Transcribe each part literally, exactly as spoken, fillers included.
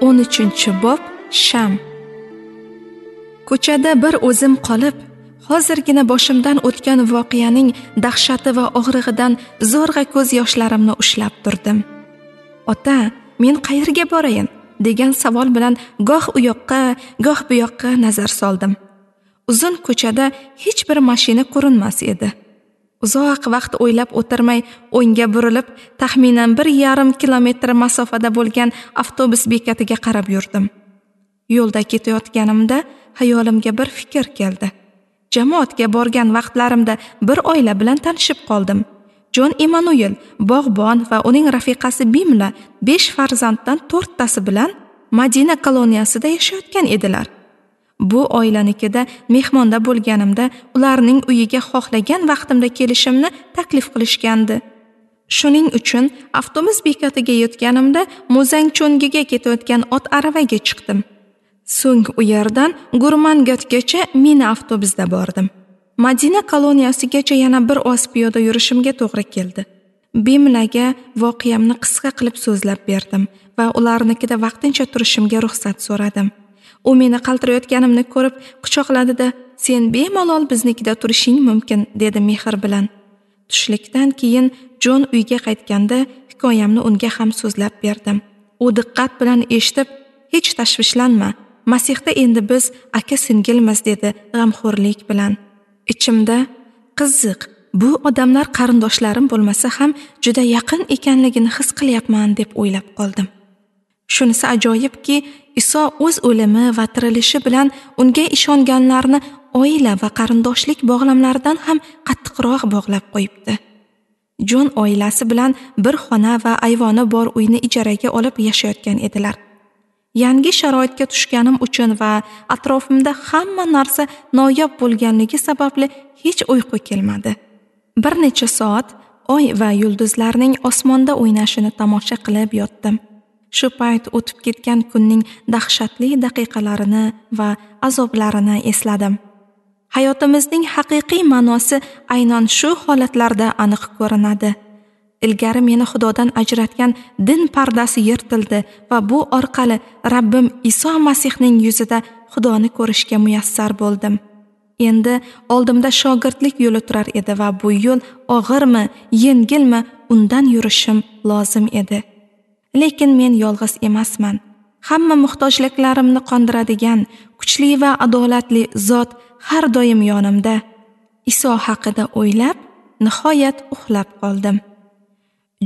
O'n uchinchi bob. Sham. Ko'chada bir o'zim qolib, hozirgina boshimdan o'tgan voqeaning dahshati va og'rig'idan zo'rg'a ko'z yoshlarimni ushlab turdim. Ota, men qayerga borayin degan savol bilan goh u yoqqa, goh bu yoqqa nazar soldim. Uzun ko'chada hech bir mashina ko'rinmas edi. Uzoq vaqt o'ylab o'tirmay o'ngga burilib, taxminan bir yarim kilometr masofada bo'lgan avtobus bekatiga qarab yurdim. Yo'lda ketayotganimda hayolimga bir fikr keldi. Jamoatga borgan vaqtlarimda bir oila bilan tanishib qoldim. Jon Emanuel, bog'bon va uning rafiqasi Bimla besh farzanddan to'rttasi bilan Madina koloniyasida yashayotgan edilar. Bu oilanikida mehmonda bo'lganimda ularning uyiga xohlagan vaqtimda kelishimni taklif qilishgandi. Shuning uchun avtobus bekatiga yetganimda Muzangchongiga ketayotgan ot aravaga chiqdim. So'ng u yerdan Gurmangatgacha mini avtobusda bordim. Madina koloniyasigacha yana bir oz piyoda yurishimga to'g'ri keldi. Bimlaga voqeamni qisqa qilib so'zlab berdim va ularnikida vaqtincha turishimga ruxsat so'radim. U meni qaltirayotganimni ko'rib quchoqladida, "Sen bemalol biznikida turishing mumkin", dedi mehr bilan. Tushlikdan keyin Jon uyga qaytganda hikoyamni unga ham so'zlab berdim. U diqqat bilan eshitib, "Hech tashvishlanma, Masihda endi biz aka-singilmiz", dedi g'amxo'rlik bilan. Ichimda, qiziq, bu odamlar qarindoshlarim bo'lmasa ham juda yaqin ekanligini his qilyapman deb o'ylab qoldim. Shunisi ajoyibki, Iso o'z o'limi va tirilishi bilan unga ishonganlarni oila va qarindoshlik bog'lamlaridan ham qattiqroq bog'lab qo'yibdi. Jon oilasi bilan bir xona va ayvoni bor uyni ijaraga olib yashayotgan edilar. Yangi sharoitga tushganim uchun va atrofimda hamma narsa noyob bo'lganligi sababli hech uyqu kelmadi. Bir necha soat oy va yulduzlarning osmonda o'ynashini tomosha qilib yotdim. Shu payt o'tib ketgan kunning dahshatli daqiqalarini va azoblarini esladim. Hayotimizning haqiqiy ma'nosi aynan shu holatlarda aniq ko'rinadi. Ilgari meni Xudodan ajratgan din pardasi yirtildi va bu orqali Rabbim Iso Masihning yuzida Xudoni ko'rishga muyassar bo'ldim. Endi oldimda shogirdlik yo'li turar edi va bu yo'l og'irmi, yengilmi, undan yurishim lozim edi. Lekin men yolg'iz emasman. Hamma muhtojliklarimni qondiradigan kuchli va adolatli zot har doim yonimda. Iso haqida o'ylab, nihoyat uxlab qoldim.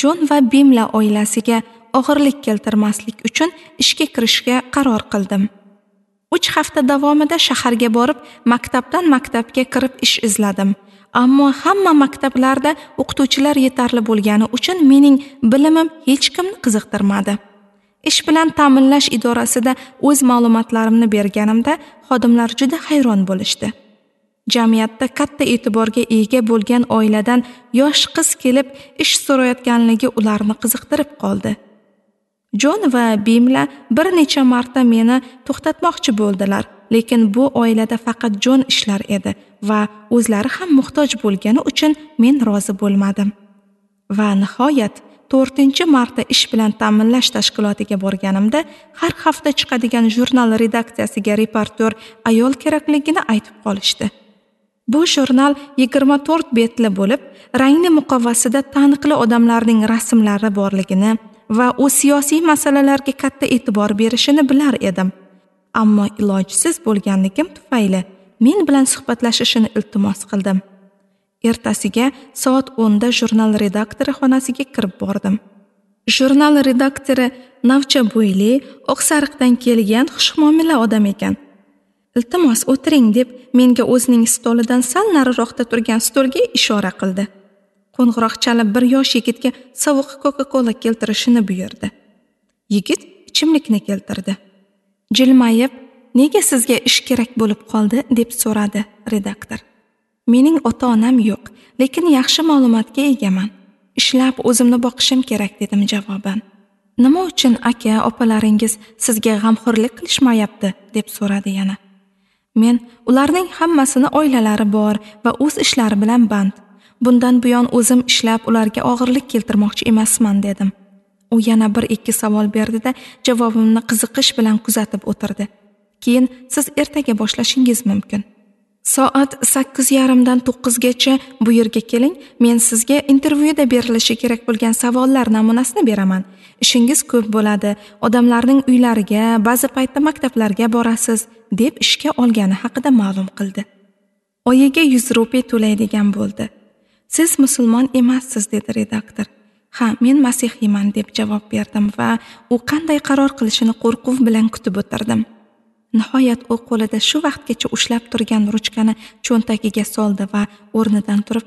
Jon va Bimla oilasiga og'irlik keltirmaslik uchun ishga kirishga qaror qildim. Uch hafta davomida shaharga borib, maktabdan maktabga kirib ish izladim. Ammo hamma maktablarda o'qituvchilar yetarli bo'lgani uchun mening bilimim hech kimni qiziqtirmadi. Ish bilan ta'minlash idorasida o'z ma'lumotlarimni berganimda xodimlar juda hayron bo'lishdi. Jamiyatda katta e'tiborga ega bo'lgan oiladan yosh qiz kelib ish so'rayotganligi ularni qiziqtirib qoldi. Jon va Bimla bir necha marta meni to'xtatmoqchi bo'ldilar, lekin bu oilada faqat Jon ishlar edi va o'zlari ham muhtoj bo'lgani uchun men rozi bo'lmadim. Va nihoyat to'rtinchi marta ish bilan ta'minlash tashkilotiga borganimda har hafta chiqadigan jurnal redaksiyasiga reportyor ayol kerakligini aytib qolishdi. Bu jurnal yigirma to'rt betli bo'lib, rangli muqovasida taniqli odamlarning rasmlari borligini va u siyosiy masalalarga katta e'tibor berishini bilar edim. Ammo ilojsiz bo'lganligim tufayli men bilan suhbatlashishini iltimos qildim. Ertasiga soat o'nda jurnal redaktori xonasiga kirib bordim. Jurnal redaktori navcha bo'yli, oqsariqdan kelgan xushmuomala odam ekan. Iltimos o'tiring deb menga o'zining stolidan sal nariroqda turgan stolga ishora qildi. Qo'ng'iroq chalib bir yosh yigitga sovuq Coca-Cola keltirishini buyurdi. Yigit ichimlikni keltirdi. Jilmayib, "Nega sizga ish kerak bo'lib qoldi?" deb so'radi redaktor. "Mening ota-onam yo'q, lekin yaxshi ma'lumotga egaman. Ishlab o'zimni boqishim kerak", dedim javoban. "Nima uchun aka, opalaringiz sizga g'amxo'rlik qilishmayapti?" deb so'radi yana. Men ularning hammasini oilalari bor va o'z ishlari bilan band. Bundan buyon o'zim ishlab ularga og'irlik keltirmoqchi emasman, dedim. U yana bir ikki savol berdida javobimni qiziqish bilan kuzatib o'tirdi. Keyin siz ertaga boshlashingiz mumkin. Soat sakkiz yarimdan to'qqizgacha bu yerga keling, men sizga intervyuda berilishi kerak bo'lgan savollar namunasini beraman. Ishingiz ko'p bo'ladi, odamlarning uylariga, ba'zi paytda maktablarga borasiz, deb ishga olgani haqida ma'lum qildi. Oyiga yuz rupiy to'laydigan bo'ldi. Siz musulmon emassiz, dedi redaktor. Ha, men masihiyman, deb javob berdim va u qanday qaror qilishini qo'rquv bilan kutib o'tirdim. Nihoyat u qo'lida shu vaqtgacha ushlab turgan ruchkani cho'ntagiga soldi va o'rnidan turib,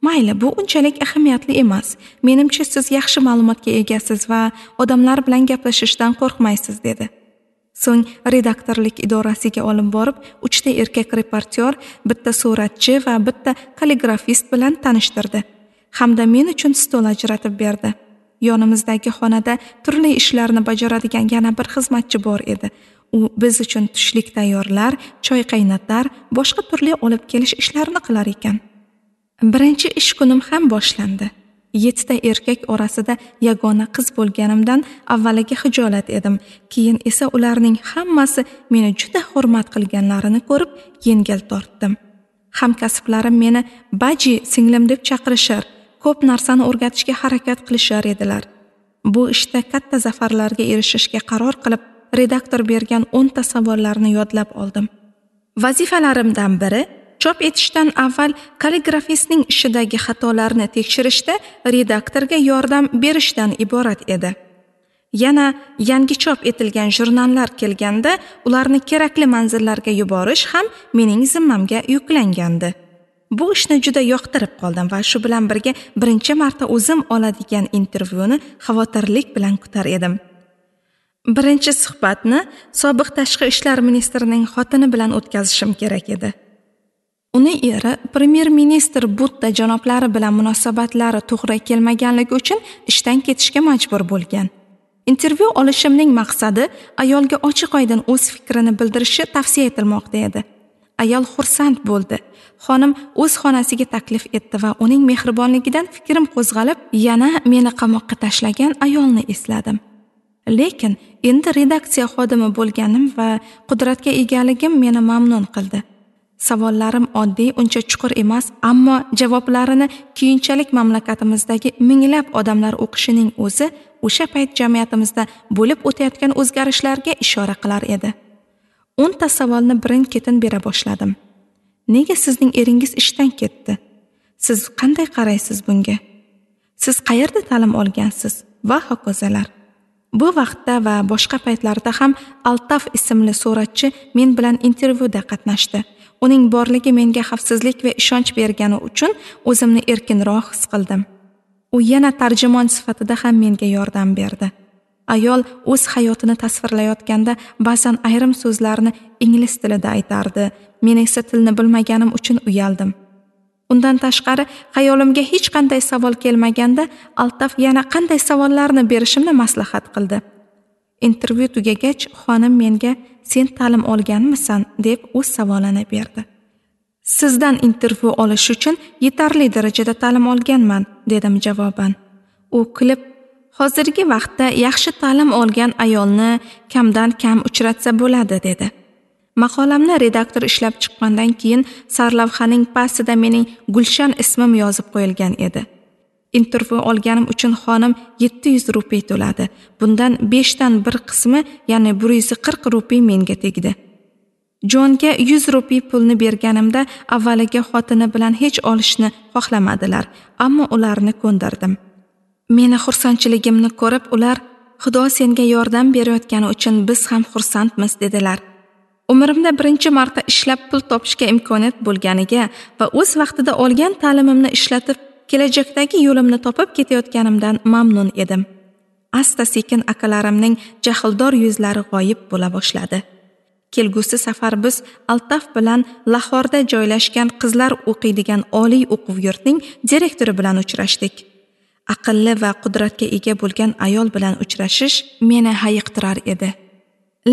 "Mayli, bu unchalik ahamiyatli emas. Menimcha siz yaxshi ma'lumotga egasiz va odamlar bilan gaplashishdan qo'rqmaysiz", dedi. So'ng redaktorlik idorasiga olib borib, uchta erkak reportyor, bitta suratchi va bitta kalligrafist bilan tanishtirdi. Hamda men uchun stol ajratib berdi. Yonimizdagi xonada turli ishlarni bajaradigan yana bir xizmatchi bor edi. U biz uchun tushlik tayyorlar, choy qaynatar, boshqa turli olib kelish ishlarini qilar ekan. Birinchi ish kunim ham boshlandi. Yettita erkak orasida yagona qiz bo'lganimdan avvaliga xijolat edim. Keyin esa ularning hammasi meni juda hurmat qilganlarini ko'rib yengil tortdim. Hamkasblarim meni baji singlim deb chaqirishar, ko'p narsani o'rgatishga harakat qilishar edilar. Bu ishda katta zafarlarga erishishga qaror qilib, redaktor bergan o'nta savollarni yodlab oldim. Vazifalarimdan biri chop etishdan avval kalligrafistning ishidagi xatolarni tekshirishda redaktorga yordam berishdan iborat edi. Yana yangi chop etilgan jurnallar kelganda ularni kerakli manzillarga yuborish ham mening zimmamga yuklangandi. Bu ishni juda yoqtirib qoldim va shu bilan birga birinchi marta o'zim oladigan intervyuni xavotirlik bilan kutar edim. Birinchi suhbatni sobiq tashqi ishlar ministrining xotini bilan o'tkazishim kerak edi. Uni eri premyer-ministr Butta janoblari bilan munosabatlari to'g'ri kelmaganligi uchun ishdan ketishga majbur bo'lgan. Intervyu olishimning maqsadi ayolga ochiq-oydin o'z fikrini bildirishi tavsiya etilmoqda edi. Ayol xursand bo'ldi. Xonim o'z xonasiga taklif etdi va uning mehribonligidan fikrim qo'zg'alib, yana meni qamoqqa tashlagan ayolni esladim. Lekin endi redaksiya xodimi bo'lganim va qudratga egaligim meni mamnun qildi. Savollarim oddiy, uncha chuqur emas, ammo javoblarini keyinchalik mamlakatimizdagi minglab odamlar o'qishining o'zi o'sha payt jamiyatimizda bo'lib o'tayotgan o'zgarishlarga ishora qilar edi. O'nta savolni birin-ketin bera boshladim. Nega sizning eringiz ishdan ketdi? Siz qanday qaraysiz bunga? Siz qayerda ta'lim olgansiz? Va hokazolar. Bu vaqtda va boshqa paytlarda ham Altaf ismli suratchi men bilan intervyuda qatnashdi. Uning borligi menga xavfsizlik va ishonch bergani uchun o'zimni erkinroq his qildim. U yana tarjimon sifatida ham menga yordam berdi. Ayol o'z hayotini tasvirlayotganda ba'zan ayrim so'zlarni ingliz tilida aytardi. Men esa tilni bilmaganim uchun uyaldim. Undan tashqari xayolimga hech qanday savol kelmaganda Altaf yana qanday savollarni berishimni maslahat qildi. Intervyu tugagach, xonim menga "Sen ta'lim olganmisan?" deb o'z savolini berdi. "Sizdan intervyu olish uchun yetarli darajada ta'lim olganman", dedim javoban. U kulib, "Hozirgi vaqtda yaxshi ta'lim olgan ayolni kamdan kam uchratsa bo'ladi", dedi. Maqolamni redaktor ishlab chiqqandan keyin sarlavhaning pastida mening Gulshan ismim yozib qo'yilgan edi. Intervyu olganim uchun xonim yetti yuz rupiy to'ladi. Bundan beshdan bir qismi, ya'ni bir yuz qirq rupiy menga tegdi. Jonga yuz rupiy pulni berganimda avvaliga xotini bilan hech olishni xohlamadilar, ammo ularni ko'ndirdim. Meni xursandchiligimni ko'rib, ular "Xudo senga yordam berayotgani uchun biz ham xursandmiz", dedilar. Umrimda birinchi marta ishlab pul topishga imkoniyat bo'lganiga va o'z vaqtida olgan ta'limimni ishlatib, kelajakdagi yo'limni topib ketayotganimdan mamnun edim. Asta-sekin akalarimning jahldor yuzlari g'oyib bo'la boshladi. Kelgusi safar biz Altaf bilan Lahorda joylashgan qizlar o'qiydigan oliy o'quv yurtining direktori bilan uchrashdik. Aqlli va qudratga ega bo'lgan ayol bilan uchrashish meni hayiqtirar edi.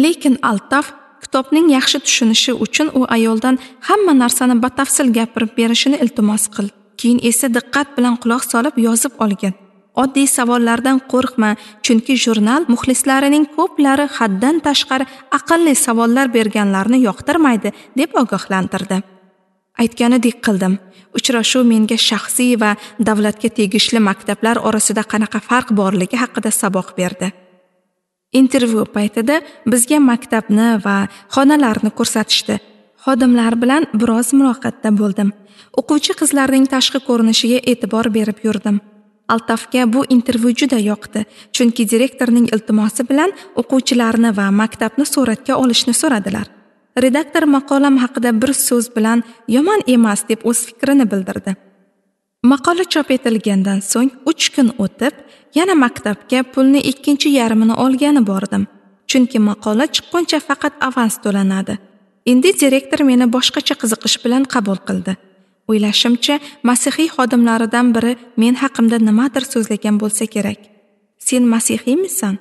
Lekin Altaf kitobning yaxshi tushunishi uchun u ayoldan hamma narsani batafsil gapirib berishini iltimos qildi. Keyin esa diqqat bilan quloq solib yozib olgan. Oddiy savollardan qo'rqma, chunki jurnal muxlislarining ko'plari haddan tashqari aqlli savollar berganlarni yoqtirmaydi, deb ogohlantirdi. Aytganidek qildim. Uchrashuv menga shaxsiy va davlatga tegishli maktablar orasida qanaqa farq borligi haqida saboq berdi. Intervyu paytida bizga maktabni va xonalarni ko'rsatishdi. Xodimlar bilan biroz muloqotda bo'ldim. O'quvchi qizlarning tashqi ko'rinishiga e'tibor berib yurdim. Altafga bu intervyu juda yoqdi, chunki direktorning iltimosi bilan o'quvchilarni va maktabni suratga olishni so'radilar. Redaktor maqolam haqida bir so'z bilan yomon emas deb o'z fikrini bildirdi. Maqola chop etilgandan so'ng uch kun o'tib, yana maktabga pulni ikkinchi yarmini olgani bordim. Chunki maqola chiqquncha faqat avans to'lanadi. Endi direktor meni boshqacha qiziqish bilan qabul qildi. O'ylashimcha, masihiy xodimlaridan biri men haqimda nimadir so'zlagan bo'lsa kerak. Sen masihiymisan?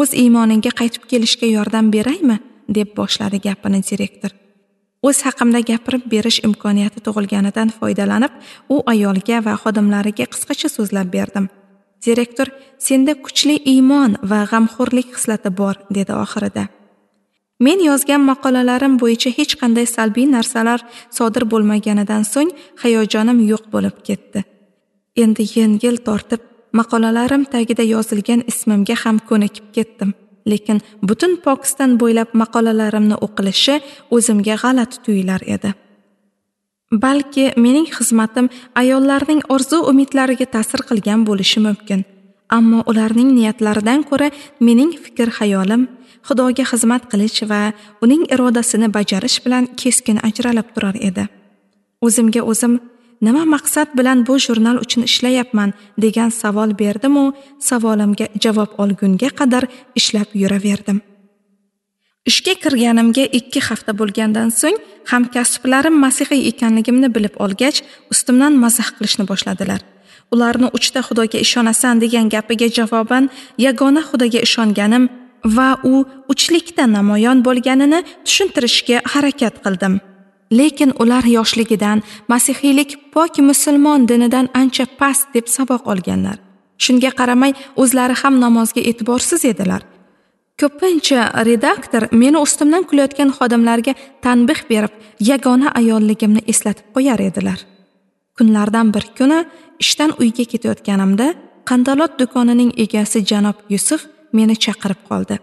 O'z iymoningga qaytib kelishga yordam beraymi? Deb boshladi gapini direktor. O'z haqimda gapirib berish imkoniyati tug'ilganidan foydalanib, u ayolga va xodimlariga qisqacha so'zlab berdim. Direktor, senda kuchli iymon va g'amxo'rlik xislati bor, dedi oxirida. Men yozgan maqolalarim bo'yicha hech qanday salbiy narsalar sodir bo'lmaganidan so'ng hayajonim yo'q bo'lib ketdi. Endi yengil tortib, maqolalarim tagida yozilgan ismimga ham ko'nikib ketdim. Lekin butun Pokiston bo'ylab maqolalarimni o'qilishi o'zimga g'alati tuyular edi. Balki mening xizmatim ayollarning orzu umidlariga ta'sir qilgan bo'lishi mumkin. Ammo ularning niyatlaridan ko'ra mening fikr-xayolim Xudoga xizmat qilish va uning irodasini bajarish bilan keskin ajralib turar edi. O'zimga o'zim nima maqsad bilan bu jurnal uchun ishlayapman degan savol berdim-u, savolimga javob olgunga qadar ishlab yuraverdim. Ishga kirganimga ikki hafta bo'lgandan so'ng hamkasblarim masihiy ekanligimni bilib olgach, ustimdan mazax qilishni boshladilar. Ularni uchta Xudoga ishonasan degan gapiga javoban yagona Xudoga ishonganim va u uchlikda namoyon bo'lganini tushuntirishga harakat qildim. Lekin ular yoshligidan masihiylik pok musulmon dinidan ancha past deb saboq olganlar. Shunga qaramay o'zlari ham namozga e'tiborsiz edilar. Ko'pincha redaktor meni ustimdan kulayotgan xodimlarga tanbih berib, yagona ayolligimni eslatib qo'yar edilar. Kunlardan bir kuni ishdan uyga ketayotganimda qandalot do'konining egasi janob Yusuf meni chaqirib qoldi.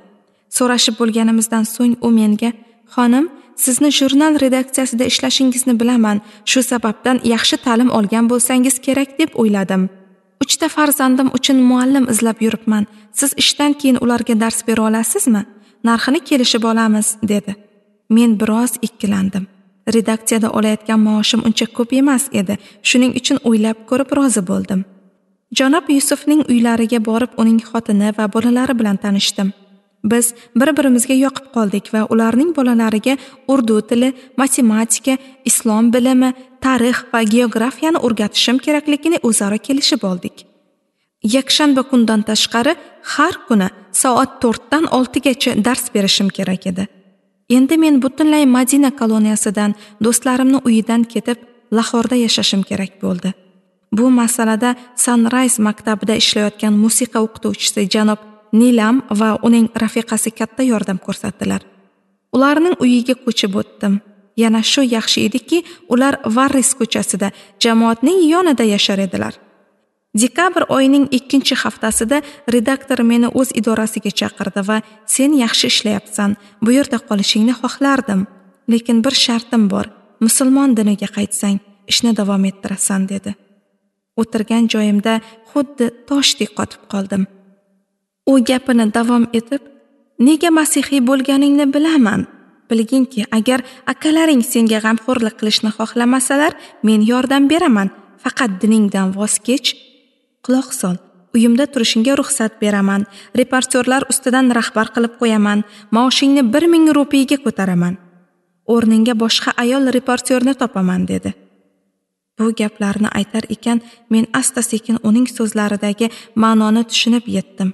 So'rashib bo'lganimizdan so'ng u menga: "Xonim, sizni jurnal redaksiyasida ishlashingizni bilaman. Shu sababdan yaxshi ta'lim olgan bo'lsangiz kerak deb o'yladim. Uchta farzandim uchun muallim izlab yuribman. Siz ishdan keyin ularga dars bera olasizmi? Narxini kelishib olamiz", dedi. Men biroz ikkilandim. Redaksiyada olayotgan maoshim uncha ko'p emas edi. Shuning uchun o'ylab ko'rib rozi bo'ldim. Janob Yusufning uylariga borib, uning xotini va bolalari bilan tanishdim. Biz bir-birimizga yoqib qoldik va ularning bolalariga urdu tili, matematika, islom bilimi, tarix va geografiyani o'rgatishim kerakligini o'zaro kelishib oldik. Yakshanba kundan tashqari har kuni soat to'rtdan oltigacha dars berishim kerak edi. Endi men butunlay Madina koloniyasidan, do'stlarimni uyidan ketib, Lahorda yashashim kerak bo'ldi. Bu masalada Sunrise maktabida ishlayotgan musiqa o'qituvchisi janob Nilam va uning rafiqasi katta yordam ko'rsatdilar. Ularning uyiga ko'chib o'tdim. Yana shu yaxshi ediki, ular Varris ko'chasida, jamoatning yonida yashar edilar. Dekabr oyining ikkinchi haftasida redaktor meni o'z idorasiga chaqirdi va "Sen yaxshi ishlayapsan, bu yerda qolishingni xohlardim, lekin bir shartim bor. Musulmon diniga qaytsang, ishni davom ettirasan", dedi. O'tirgan joyimda xuddi toshdek qotib qoldim. U gapini davom etib, "Nega masihiy bo'lganingni bilaman. Bilginki, agar akalaring senga g'amxo'rlik qilishni xohlamasalar, men yordam beraman. Faqat diningdan voz kech. Quloq sol. Uyimda turishingga ruxsat beraman. Reportyorlar ustidan rahbar qilib qo'yaman. Maoshingni bir ming rupiyaga ko'taraman. O'rningga boshqa ayol reportyorni topaman", dedi. Bu gaplarni aytar ekan, men asta-sekin uning so'zlaridagi ma'noni tushunib yetdim.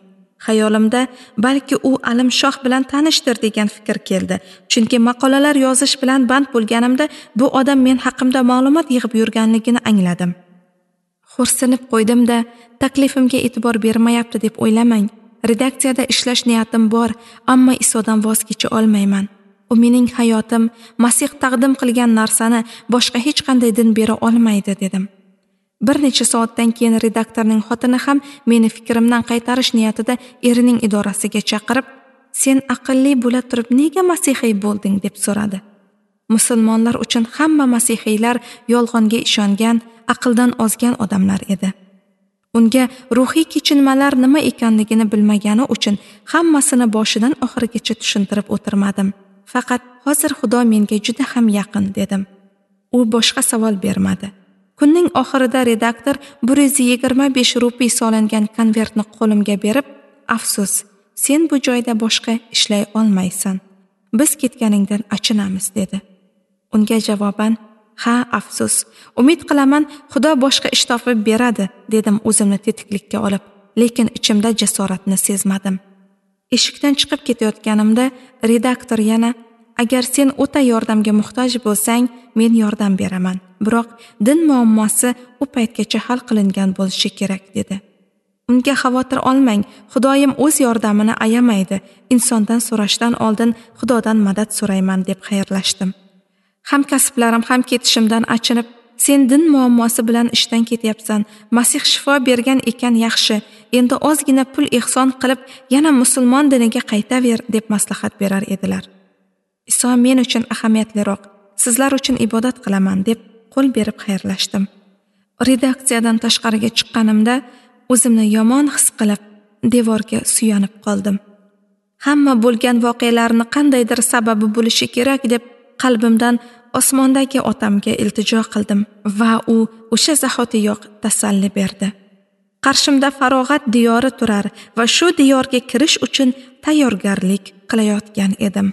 Xayolimda balki u Alimshoh bilan tanishdir degan fikr keldi. Chunki maqolalar yozish bilan band bo'lganimda bu odam men haqimda ma'lumot yig'ib yurganligini angladim. Xo'rsinib qo'ydim-da, taklifimga e'tibor bermayapti deb o'ylamang. Redaksiyada ishlash niyatim bor, ammo Isodan voz kecha olmayman. U mening hayotim, Masih taqdim qilgan narsani boshqa hech qanday din bera olmaydi, dedim. Bir necha soatdan keyin redaktorning xotini ham meni fikrimdan qaytarish niyatida erining idorasiga chaqirib, "Sen aqlli bo'la turib nega masihiy bo'lding?" deb so'radi. Musulmonlar uchun hamma masihiylar yolg'onga ishongan, aqldan ozgan odamlar edi. Unga ruhiy kechinmalar nima ekanligini bilmagani uchun hammasini boshidan oxirigacha tushuntirib o'tirmadim. Faqat hozir Xudo menga juda ham yaqin, dedim. U boshqa savol bermadi. Kunning oxirida redaktor bir yuz yigirma besh rupiy solingan konvertni qo'limga berib, "Afsus, sen bu joyda boshqa ishlay olmaysan. Biz ketganingdan achinamiz", dedi. Unga javoban, "Ha, afsus. Umid qilaman, Xudo boshqa ish topib beradi", dedim o'zimni tetiklikka olib, lekin ichimda jasoratni sezmadim. Eshikdan chiqib ketayotganimda redaktor yana, "Agar sen o'ta yordamga muhtoj bo'lsang, men yordam beraman. Biroq din muammosi u paytgacha hal qilingan bo'lishi kerak", dedi. Unga xavotir olmang, Xudoyim o'z yordamini ayamaydi. Insondan so'rashdan oldin Xudodan madad so'rayman, deb xayrlashdim. Hamkasblarim ham ketishimdan achinib, "Sen din muammosi bilan ishdan ketyapsan. Masih shifo bergan ekan, yaxshi. Endi ozgina pul ehson qilib, yana musulmon diniga qaytaver", deb maslahat berar edilar. Iso men uchun ahamiyatliroq, sizlar uchun ibodat qilaman, deb qo'l berib xayrlashdim. Redaksiyadan tashqariga chiqqanimda o'zimni yomon his qilib, devorga suyanib qoldim. Hamma bo'lgan voqealarni qandaydir sababi bo'lishi kerak deb qalbimdan osmondagi otamga iltijo qildim va u o'sha zahotiyoq tasalli berdi. Qarshimda farog'at diyori turar va shu diyorga kirish uchun tayyorgarlik qilayotgan edim.